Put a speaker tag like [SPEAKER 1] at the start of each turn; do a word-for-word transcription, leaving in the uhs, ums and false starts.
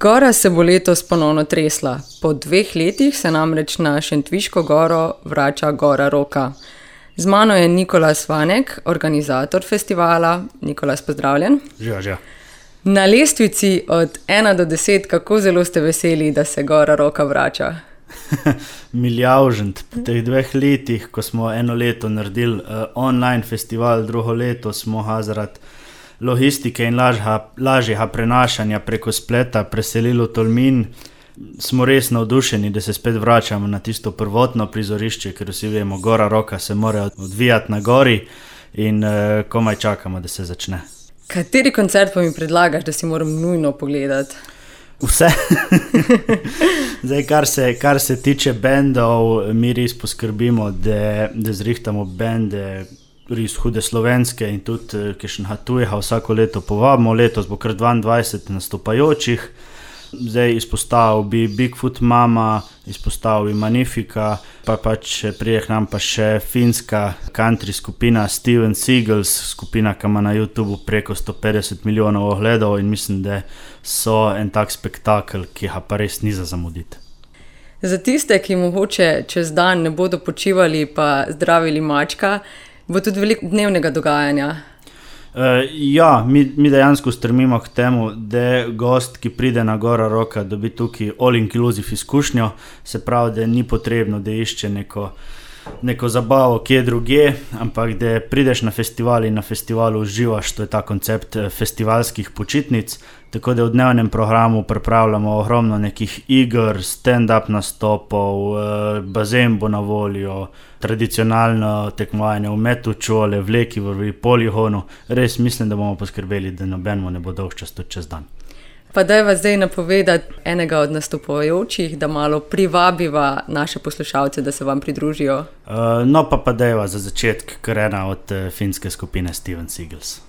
[SPEAKER 1] Gora se bo letos ponovno tresla. Po dveh letih se namreč na Šentviško goro vrača Gora Roka. Z mano je Nikolas Vanek, organizator festivala. Nikolas, pozdravljen.
[SPEAKER 2] Živa, živa.
[SPEAKER 1] Na lestvici od ena do deset, kako zelo ste veseli, da se Gora Roka vrača?
[SPEAKER 2] Milijavžent. Po teh dveh letih, ko smo eno leto naredili uh, online festival, drugo leto smo ga zaradi logistike in lažja, lažjega prenašanja preko spleta preselili v Tolmin. Smo res navdušeni, da se spet vračamo na tisto prvotno prizorišče, ker vsi vemo, Gora Roka se mora odvijati na gori in uh, komaj čakamo, da se začne.
[SPEAKER 1] Kateri koncert pa mi predlagaš, da si moram nujno pogledati?
[SPEAKER 2] Vse. Zdaj, kar se, kar se tiče bendov, mi res poskrbimo, da, da zrihtamo bende res hude slovenske in tudi kakšnega tujega vsako leto povabimo. Letos bo kar dvaindvajset nastopajočih. Zdaj izpostavil bi Bigfoot Mama, izpostavil bi Magnifica, pa pač prije k nam pa še finska country skupina Steven Seagulls, skupina, ki ima na YouTubeu preko sto petdeset milijonov ogledov in mislim, da so en tak spektakel, ki ga pa res ni za zamuditi.
[SPEAKER 1] Za tiste, ki mogoče čez dan ne bodo počivali pa zdravili mačka, bo tudi veliko dnevnega dogajanja.
[SPEAKER 2] Uh, ja, mi, mi dejansko strmimo k temu, da gost, ki pride na Gora Roka, dobi tukaj all-inclusive izkušnjo, se pravi, da ni potrebno, da išče neko, neko zabavo kje drugje, ampak da prideš na festival in na festivalu uživaš, to je ta koncept festivalskih počitnic, tako da v dnevnem programu pripravljamo ogromno nekih iger, stand-up nastopov, bazen bo na voljo, tradicionalno tekmovanje v metu čole, vleki v poligonu. Res mislim, da bomo poskrbeli, da nobenemu ne bo dolgčas tudi čez dan.
[SPEAKER 1] Pa dajva zdaj napovedati enega od nastopajočih, da malo privabiva naše poslušalce, da se vam pridružijo.
[SPEAKER 2] Uh, no pa pa dajva za začetek kar ena od uh, finske skupine Steven Seagulls.